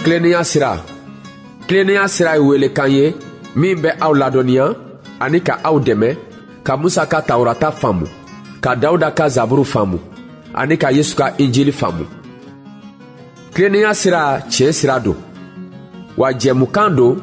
Tilennenya sira. Tilennenya sira ye welekan ye min bɛ aw ladɔnniya ani ka aw dɛmɛ ka Musa ka Tawurata faamu, ka Dawuda ka Zaburu faamu ani ka Yesu ka Injili faamu. Tilennenya sira tiɲɛ sira don, wa jɛmukan don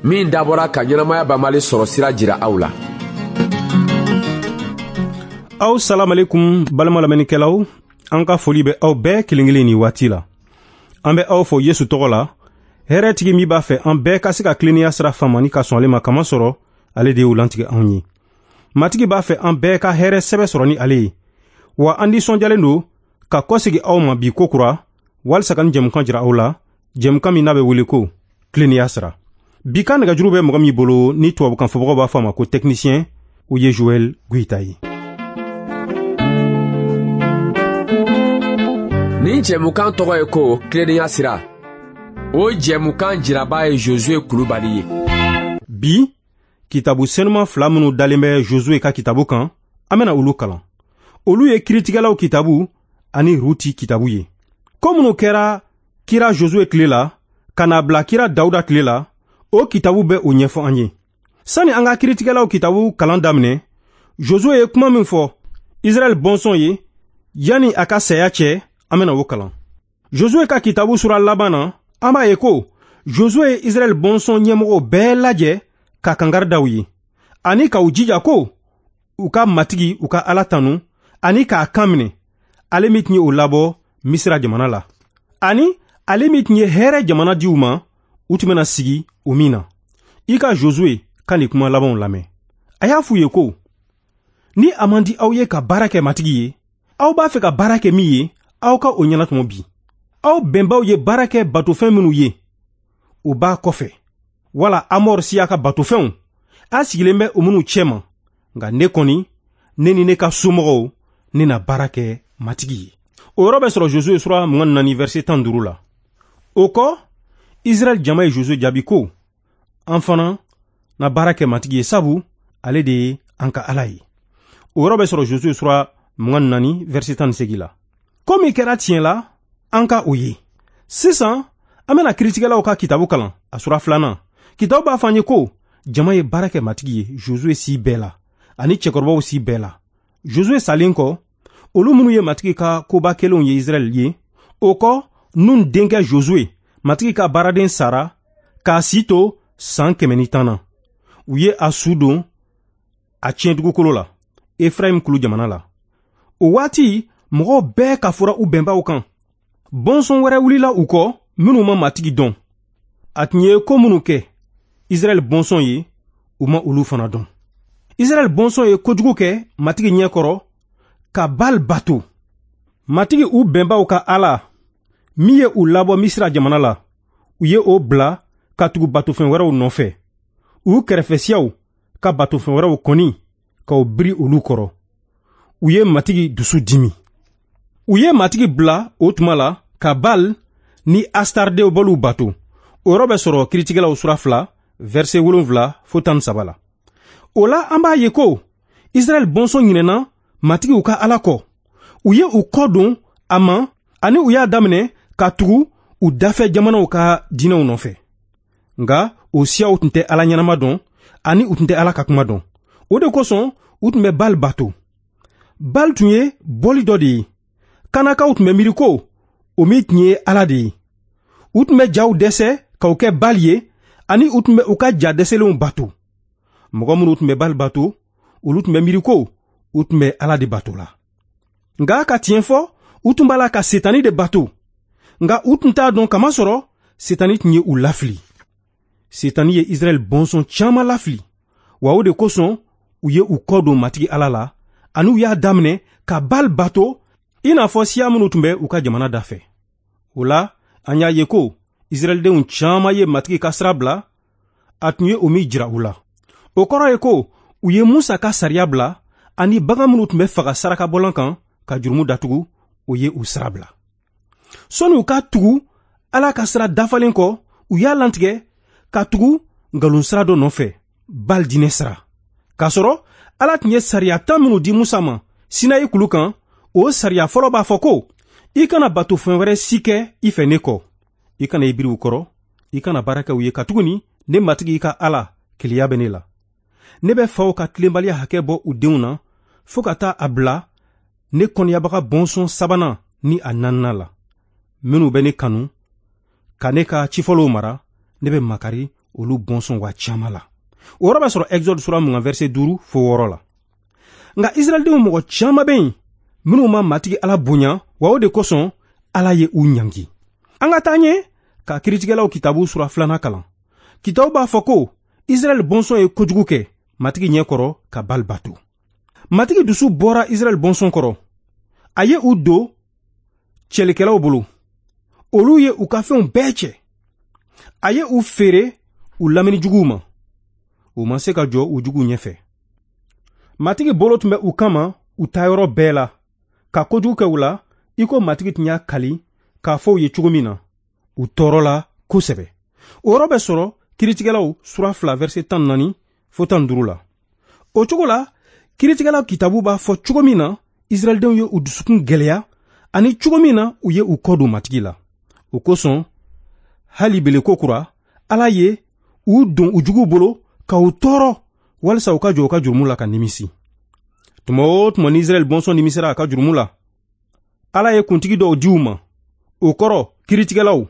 min dabɔra ka ɲɛnamaya banbali sɔrɔ sira jira aw la. Aw salamalekum balima lamɛnnikɛlaw, an ka foli bɛ aw bɛɛ kelen kelen nin waati la. An bɛ aw fo Yesu tɔgɔ la, hɛrɛtigi min b'a fɛ an bɛɛ ka se ka tilennenya sira faamu ani ka sɔn ale ma, kamasɔrɔ ale de y'o lantigɛ anw ye. Matigi b'a fɛ an bɛɛ ka hɛrɛ sɛbɛ sɔrɔ ni ale ye. Wa an nisɔndiyalen don ka kɔsegi aw ma bi kokura walisa ka nin jɛmukan jira aw la, jɛmukan min n'a bɛ wele ko tilennenya sira. Bi ka nɛgɛjuru bɛ mɔgɔ min bolo ni tubabukan fɔbagaw b'a fɔ a ma ko technicien, o ye Joël Goïta ye. Nin jɛmukan tɔgɔ ye ko tilennenya sira. O jɛmukan jiraba ye Josue Kulubali ye. Bi, kitabu senuman fila minnu dalen bɛ Josue ka kitabu kan, an bɛna olu kalan. Olu ye kiritigɛlaw kitabu ani Ruti kitabu ye. Ko minnu kɛra kira Josue tile la, ka n'a bila kira Dawuda tile la, o kitabu bɛ o ɲɛfɔ an ye. Sani an ka kiritigɛlaw kitabu kalan daminɛ, Josue ye kuma min fɔ Israɛl bɔnsɔn ye yanni a ka saya cɛ, an bɛna o kalan. Josue ka kitabu sura laban na, an b'a ye ko Josue ye Israɛl bɔnsɔn ɲɛmɔgɔw bɛɛ lajɛ ka kangari da u ye, ani ka u jija ko u ka Matigi u ka Ala tanu ani k'a kan minɛ, ale min tun ye o labɔ Misira jamana la, ani ale min tun ye hɛrɛ jamana di u ma, u tun bɛna sigi o min na. I ka Josue ka nin kuma labanw lamɛn. A y'a f'u ye ko, ni a man di aw ye ka baara kɛ Matigi ye, aw b'a fɛ ka baara kɛ min ye, aw ka o ɲɛnatɔmɔ bi. Aw bɛnbaw ye baara kɛ batofɛn minnu ye, o b'a kɔfɛ, wala Amɔr siya ka batofɛnw, a sigilen bɛ o minnu cɛma. Nka ne kɔni, ne ni ne ka somɔgɔw, ne na baara kɛ Matigi ye. O yɔrɔ bɛ sɔrɔ Josue sura 24 verset 15 la. O kɔ, Israɛl jama ye Josue jaabi ko, an fana na baara kɛ Matigi ye, sabu ale de ye an ka Ala ye. O yɔrɔ bɛ sɔrɔ Josue sura 24 verset 18 la. Ko min kɛra tiɲɛ la, an ka o ye. Sisan, an bɛna kiritigɛlaw ka kitabu kalan, a sura 2. Kitabu b'a fɔ an ye ko jama ye baara kɛ Matigi ye Josue si bɛɛ la, ani cɛkɔrɔbaw si bɛɛ la. Josue salen kɔ, olu minnu ye Matigi ka koba kelenw ye Israɛl ye, o kɔ Nun denkɛ Josue, Matigi ka baaraden sara k'a si to san 110 na. U ye a su don a tiɲɛ dugukolo la, Efrayim kulu jamana la. O waati, mɔgɔw bɛɛ kafora u bɛnbaw kan. Bɔnsɔn wɛrɛ wulila u kɔ minnu ma Matigi dɔn. A tun ye ko minnu kɛ Israɛl bɔnsɔn ye, u ma olu fana dɔn. Israɛl bɔnsɔn ye kojugu kɛ Matigi ɲɛ kɔrɔ ka Baal bato. Matigi u bɛnbaw ka Ala min ye u labɔ Misira jamana la, u ye o bila ka tugu batofɛn wɛrɛw nɔfɛ. U kɛrɛfɛ siyaw ka batofɛn wɛrɛw kɔni k'u biri olu kɔrɔ. U ye Matigi dusu dimi. U ye Matigi bila o tuma la ka Baal ni Astardew boliw bato. O yɔrɔ bɛ sɔrɔ kiritigɛlaw sura 2 verset 7 fo 13 la. O la an b'a ye ko Israɛl bɔnsɔn ɲinɛna Matigi u ka Ala kɔ. U ye u kɔ don a ma ani u y'a daminɛ ka tugu u dafɛ jamanaw ka diinɛw nɔfɛ. Nka o siyaw tun tɛ Ala ɲɛnama dɔn ani u tun tɛ Ala ka kuma dɔn. O de kosɔn u tun bɛ Baal bato. Baal tun ye bɔli dɔ de ye. Kanakaw tun bɛ miiri ko o min tun ye Ala de ye. U tun bɛ jaw dɛsɛ k'o kɛ Baal ye ani u tun bɛ u ka ja dɛsɛlenw bato. Mɔgɔ minnu tun bɛ Baal bato, olu tun bɛ miiri ko u tun bɛ Ala de bato la. Nka ka tiɲɛ fɔ, u tun b'a la ka Setani de bato. Nka u tun t'a dɔn kamasɔrɔ Setani tun ye u lafili. Setani ye Israɛl bɔnsɔn caman lafili, wa o de kosɔn u ye u kɔ don Matigi Ala la ani u y'a daminɛ ka Baal bato i n'a fɔ siya minnu tun bɛ u ka jamana dafɛ. O la, an y'a ye ko Israɛldenw caman ye Matigi ka sira bila, a tun ye o min jira u la. O kɔrɔ ye ko u ye Musa ka sariya bila ani bagan minnu tun bɛ faga sarakabɔlan kan ka jurumu datugu, o ye u sira bila. Sɔnni u ka tugu Ala ka sira dafalen kɔ, u y'a lantigɛ ka tugu nkalon sira dɔ nɔfɛ, Baal diinɛ sira. K'a sɔrɔ Ala tun ye sariya 10 minnu di Musa ma Sinayi kulu kan, o sariya fɔlɔ b'a fɔ ko i kana batofɛn wɛrɛ si kɛ i fɛ ne kɔ. I kana i biri u kɔrɔ, i kana baara kɛ u ye, katuguni ne Matigi i ka Ala keleya bɛ ne la. Ne bɛ faw ka tilenbaliya hakɛ bɔ u denw na fo ka taa a bila ne kɔniyabaga bɔnsɔn sabanan ni a naaninan la. Minnu bɛ ne kanu ka ne ka cifɔlɔw mara, ne bɛ makari olu bɔnsɔn wa caman la. O yɔrɔ bɛ sɔrɔ Exode sura 20 verset 5 fo 6 la. Nka Israɛldenw mɔgɔ caman bɛ yen minnu ma Matigi Ala bonya, wa o de kosɔn Ala ye u ɲangi. An ka taa ɲɛ ka kiritigɛlaw kitabu sura 2 kalan. Kitabu b'a fɔ ko Israɛl bɔnsɔn ye kojugu kɛ Matigi ɲɛ kɔrɔ ka Bali bato. Matigi dusu bɔra Israɛl bɔnsɔn kɔrɔ. A ye u don cɛlikɛlaw bolo. Olu ye u ka fɛnw bɛɛ cɛ. A ye u feere u lamini juguw ma. U ma se ka jɔ u juguw ɲɛfɛ. Matigi bolo tun bɛ u kama u taayɔrɔ bɛɛ la, ka kojugu kɛ u la i ko Matigi tun y'a kali k'a fɔ u ye cogo min na. U tɔɔrɔla kosɛbɛ. O yɔrɔ bɛ sɔrɔ kiritigɛlaw sura 2 verset 14 fo 15 la. O cogo la, kiritigɛlaw kitabu b'a fɔ cogo min na Israɛldenw ye u dusukun gɛlɛya ani cogo min na u ye u kɔ don Matigi la. O kosɔn, hali beleko kura, Ala ye u don u juguw bolo ka u tɔɔrɔ walisa u ka jɔ u ka jurumu la ka nimisi. Tuma o tuma ni Israɛl bɔnsɔn nimisira a ka jurumu la, Ala ye kuntigi dɔw di u ma, o kɔrɔ kiritigɛlaw,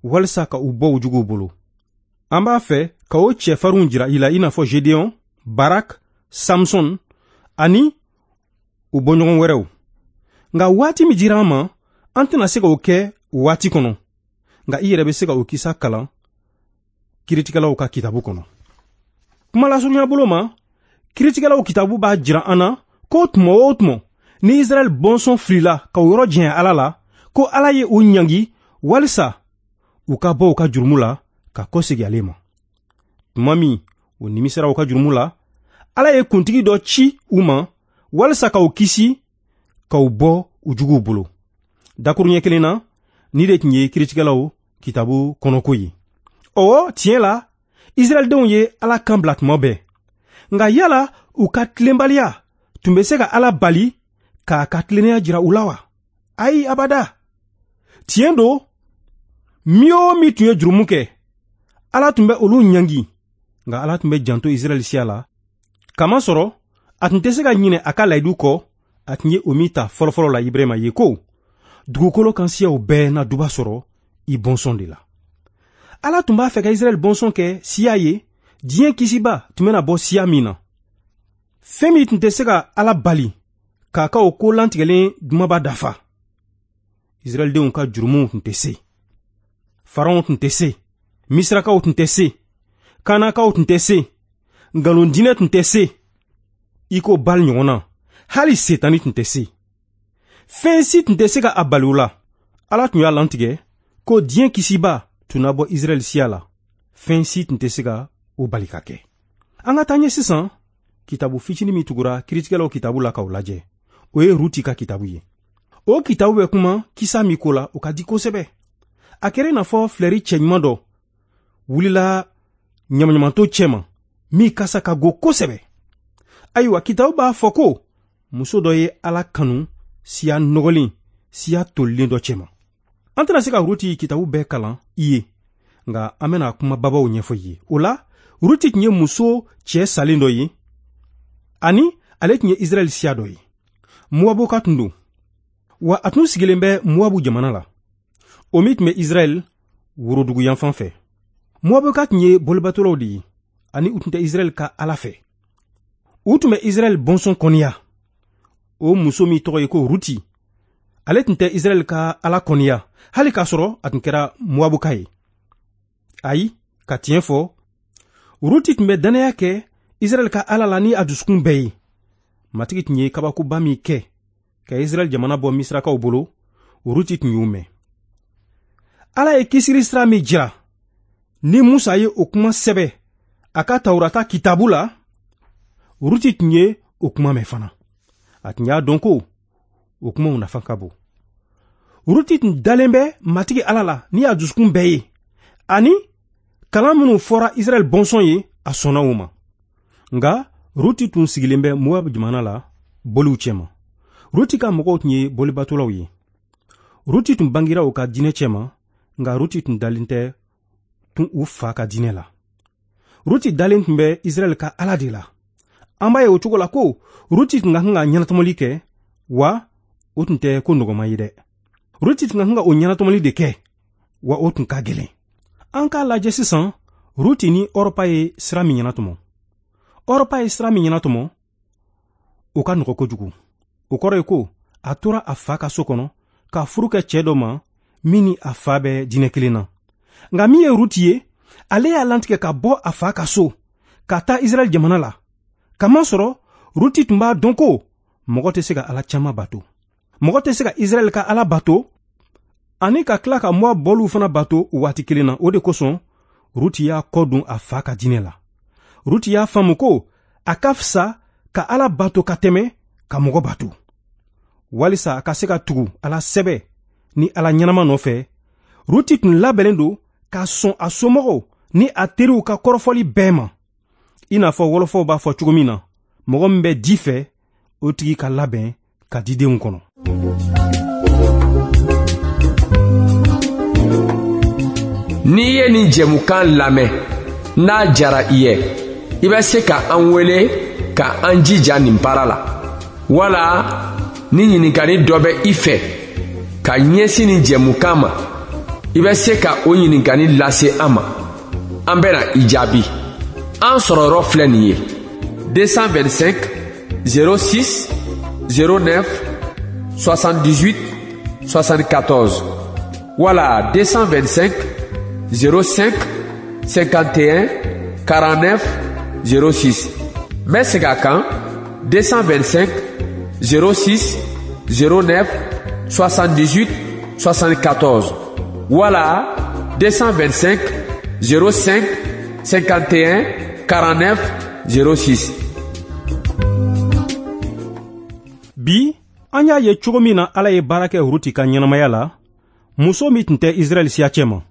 walisa ka u bɔ u juguw bolo. An b'a fɛ ka o cɛfarinw jira i la i n'a fɔ Gedeon, Barak, Samson ani u bɔɲɔgɔn wɛrɛw. Nka waati min dira an ma, an tɛna se k'o kɛ o waati kɔnɔ. Nka i yɛrɛ bɛ se ka o kisa kalan kiritigɛlaw ka kitabu kɔnɔ. Kuma lasurunya bolo ma, kiritigɛlaw kitabu b'a jira an na ko tuma o tuma ni Israɛl bɔnsɔn filila ka o yɔrɔ janya Ala la, ko Ala ye u ɲangi walisa u ka bɔ u ka jurumu la ka kɔsegin ale ma. Tuma min u nimisira u ka jurumu la, Ala ye kuntigi dɔ ci u ma walisa ka u kisi ka u bɔ u juguw bolo. Dakuruɲɛ kelen na, ni de tun ye kiritigɛlaw kitabu kɔnɔko ye. Ɔwɔ, tiɲɛ la, Israɛldenw ye Ala kan bila tuma bɛɛ. Nka yala u ka tilenbaliya tun bɛ se ka Ala bali k'a ka tilennenya jira u la wa? Ayi, abada. Tiɲɛ don, min o min tun ye jurumu kɛ, Ala tun bɛ olu ɲangi. Nka Ala tun bɛ janto Israɛl siya la, kamasɔrɔ a tun tɛ se ka ɲinɛ a ka layidu kɔ, a tun ye o min ta fɔlɔfɔlɔ la Ibrahima ye ko dugukolo kan siyaw bɛɛ na duba sɔrɔ i bɔnsɔn de la. Ala tun b'a fɛ ka Israɛl bɔnsɔn kɛ siya ye, diɲɛ kisiba tun bɛna bɔ siya min na. Fɛn min tun tɛ se ka Ala bali k'a ka o ko lantigɛlen dumaba dafa. Israɛldenw ka jurumuw tun tɛ se. Faraon tun tɛ se. Misirakaw tun tɛ se. Kanakaw tun tɛ se. Nkalondinɛ tun tɛ se. I ko Bali ɲɔgɔn na, hali Setani tun tɛ se. Fɛn si tun tɛ se ka a bali u la. Ala tun y'a lantigɛ ko diɲɛ kisiba tun na bɔ Israɛl siya la. Fɛn si tun tɛ se ka o bali ka kɛ. An ka taa ɲɛ sisan kitabu fitinin min tugura kiritigɛlaw kitabu la k'o lajɛ. O ye Ruti ka kitabu ye. O kitabu bɛ kuma kisa min ko la, o ka di kosɛbɛ. A kɛra i n'a fɔ filɛri cɛɲuman dɔ wulila ɲamaɲamanto cɛma min kasa ka go kosɛbɛ. Ayiwa, kitabu b'a fɔ ko muso dɔ ye Ala kanu siya nɔgɔlen, siya tolilen dɔ cɛma. An tɛna se ka Ruti kitabu bɛɛ kalan i ye, nka an bɛna kuma babaw ɲɛfɔ i ye. O la, Ruti tun ye muso cɛ salen dɔ ye, ani ale tun ye Israɛl siya dɔ ye. Moabuka tun don, wa a tun sigilen bɛ Moabu jamana la, o min tun bɛ Israɛl worodugu yanfan fɛ. Moabuka tun ye bolibatolaw de ye, ani u tun tɛ Israɛl ka Ala fɛ. U tun bɛ Israɛl bɔnsɔn kɔniya. O muso min tɔgɔ ye ko Ruti, ale tun tɛ Israɛl ka Ala kɔniya, hali k'a sɔrɔ a tun kɛra Moabuka ye. Ayi, ka tiɲɛ fɔ, Ruti tun bɛ dannaya kɛ Israɛl ka Ala la ni a dusukun bɛɛ ye. Matigi tun ye kabakoba min kɛ ka Israɛl jamana bɔ Misirakaw bolo, Ruti tun y'o mɛn. Ala ye kisili sira min jira, ni Musa ye o kuma sɛbɛ a ka Tawurata kitabu la, Ruti tun ye o kuma mɛn fana. A tun y'a dɔn ko o kumaw nafa ka bon. Ruti tun dalen bɛ Matigi Ala la ni a dusukun bɛɛ ye, ani kalan minnu fɔra Israɛl bɔnsɔn ye, a sɔnna o ma. Nka Ruti tun sigilen bɛ Moab jamana la boliw cɛma. Ruti ka mɔgɔw tun ye bolibatolaw ye. Ruti tun bangira u ka diinɛ cɛma, Nka Ruti tun dalen tɛ tun u fa ka diinɛ la. Ruti dalen tun bɛ Israɛl ka Ala de la. An b'a ye o cogo la ko Ruti tun ka kan ka ɲɛnatɔmɔli kɛ, wa o tun tɛ ko nɔgɔman ye dɛ. Ruti tun ka kan ka o ɲɛnatɔmɔli de kɛ, wa o tun ka gɛlɛn. An k'a lajɛ sisan Ruti ni Ɔrɔpa ye sira min ɲɛnatɔmɔ. Ɔrɔpa ye sira min ɲɛnatɔmɔ, o ka nɔgɔ kojugu. O kɔrɔ ye ko a tora a fa ka so kɔnɔ ka furu kɛ cɛɛ dɔ ma min ni a fa bɛ diinɛ kelen na. Nka min ye Ruti ye, ale y'a lantigɛ ka bɔ a fa ka so ka taa Israɛl jamana la. Kamasɔrɔ Ruti tun b'a dɔn ko mɔgɔ tɛ se ka Ala caman bato. Mɔgɔ tɛ se ka Israɛl ka Ala bato ani ka tila ka Moab bɔliw fana bato o waati kelen na. O de kosɔn Ruti y'a kɔ don a fa ka diinɛ la. Ruti y'a faamu ko a ka fisa ka Ala bato ka tɛmɛ ka mɔgɔ bato, walisa a ka se ka tugu Ala sɛbɛ ni Ala ɲɛnama nɔfɛ. Ruti tun labɛnnen don ka sɔn a somɔgɔw ni a teriw ka kɔrɔfɔli bɛɛ ma. I n'a fɔ wɔlɔfɔw b'a fɔ cogo min na, mɔgɔ min bɛ di fɛ, o tigi ka labɛn ka didenw kɔnɔ. N'i ye nin jɛmukan lamɛn, n'a jara i ye, i bɛ se ka an wele ka an jija nin baara la. Wala ni ɲininkali dɔ bɛ i fɛ ka ɲɛsin nin jɛmukan ma, i bɛ se ka o ɲininkali lase an ma. An bɛna i jaabi. An sɔrɔ yɔrɔ filɛ nin ye: 225 06 09 78 74 wala 225 05 51 49 06. N bɛ segin a kan: 225 06 09 78 74 wala 225 05 51 49 06. Bi an y'a ye cogo min na Ala ye baara kɛ Ruti ka ɲɛnamaya la, muso min tun tɛ Israɛl siya cɛ ma.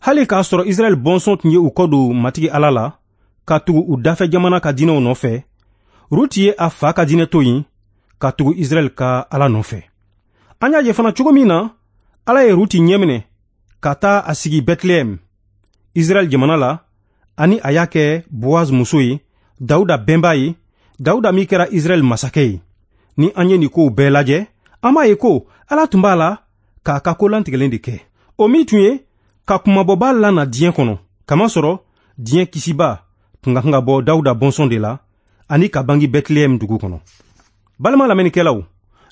Hali k'a sɔrɔ Israɛl bɔnsɔn tun ye u kɔ don Matigi Ala la ka tugu u dafɛ jamana ka diinɛw nɔfɛ, Ruti ye a fa ka diinɛ to yen ka tugu Israɛl ka Ala nɔfɛ. An y'a ye fana cogo min na Ala ye Ruti ɲɛminɛ ka taa a sigi Bɛtilɛhɛm, Israɛl jamana la, ani a y'a kɛ Boaz muso ye, Dawuda bɛnba ye, Dawuda min kɛra Israɛl masakɛ ye. Ni an ye nin kow bɛɛ lajɛ, an b'a ye ko Ala tun b'a la k'a ka ko lantigɛlen de kɛ. O min tun ye ka kunmabɔba lana diɲɛ kɔnɔ, kamasɔrɔ diɲɛ kisiba tun ka kan ka bɔ Dawuda bɔnsɔn de la ani ka bange Bɛtilɛhɛm dugu kɔnɔ. Balima lamɛnnikɛlaw,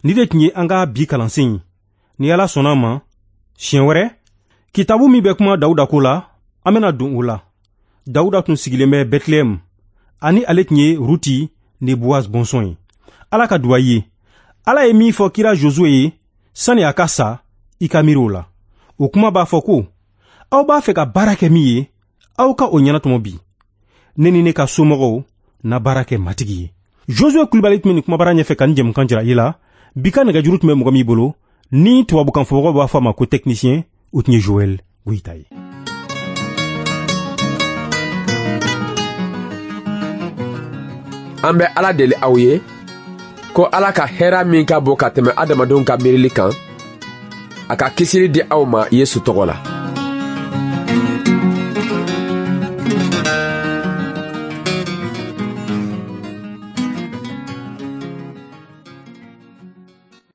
ni de tun ye an ka bi kalansen ye. Ni Ala sɔnna a ma, siɲɛ wɛrɛ, kitabu min bɛ kuma Dawuda ko la, an bɛna don o la. Dawuda tun sigilen bɛ Bɛtilɛhɛm, ani ale tun ye Ruti ni Boaz bɔnsɔn ye. Ala ka duwa ye. Ala ye min fɔ kira Josue ye sani a ka sa, i ka miiri o la. O kuma b'a fɔ ko aw b'a fɛ ka baara kɛ min ye, aw ka o ɲɛnatɔmɔ bi. Ne ni ne ka somɔgɔw na baara kɛ Matigi ye. Josue Kulibali tun bɛ nin kumabara ɲɛfɛ ka nin jɛmukan jira i la. Bi ka nɛgɛjuru tun bɛ mɔgɔ min bolo, ni tubabukan fɔbagaw b'a fɔ a ma ko technicien, o tun ye Joël Goyita ye. An bɛ Ala deli aw ye ko Ala ka hɛrɛ min ka bon ka tɛmɛ adamadenw ka miirili kan, a ka kisili di aw ma Yesu tɔgɔ la.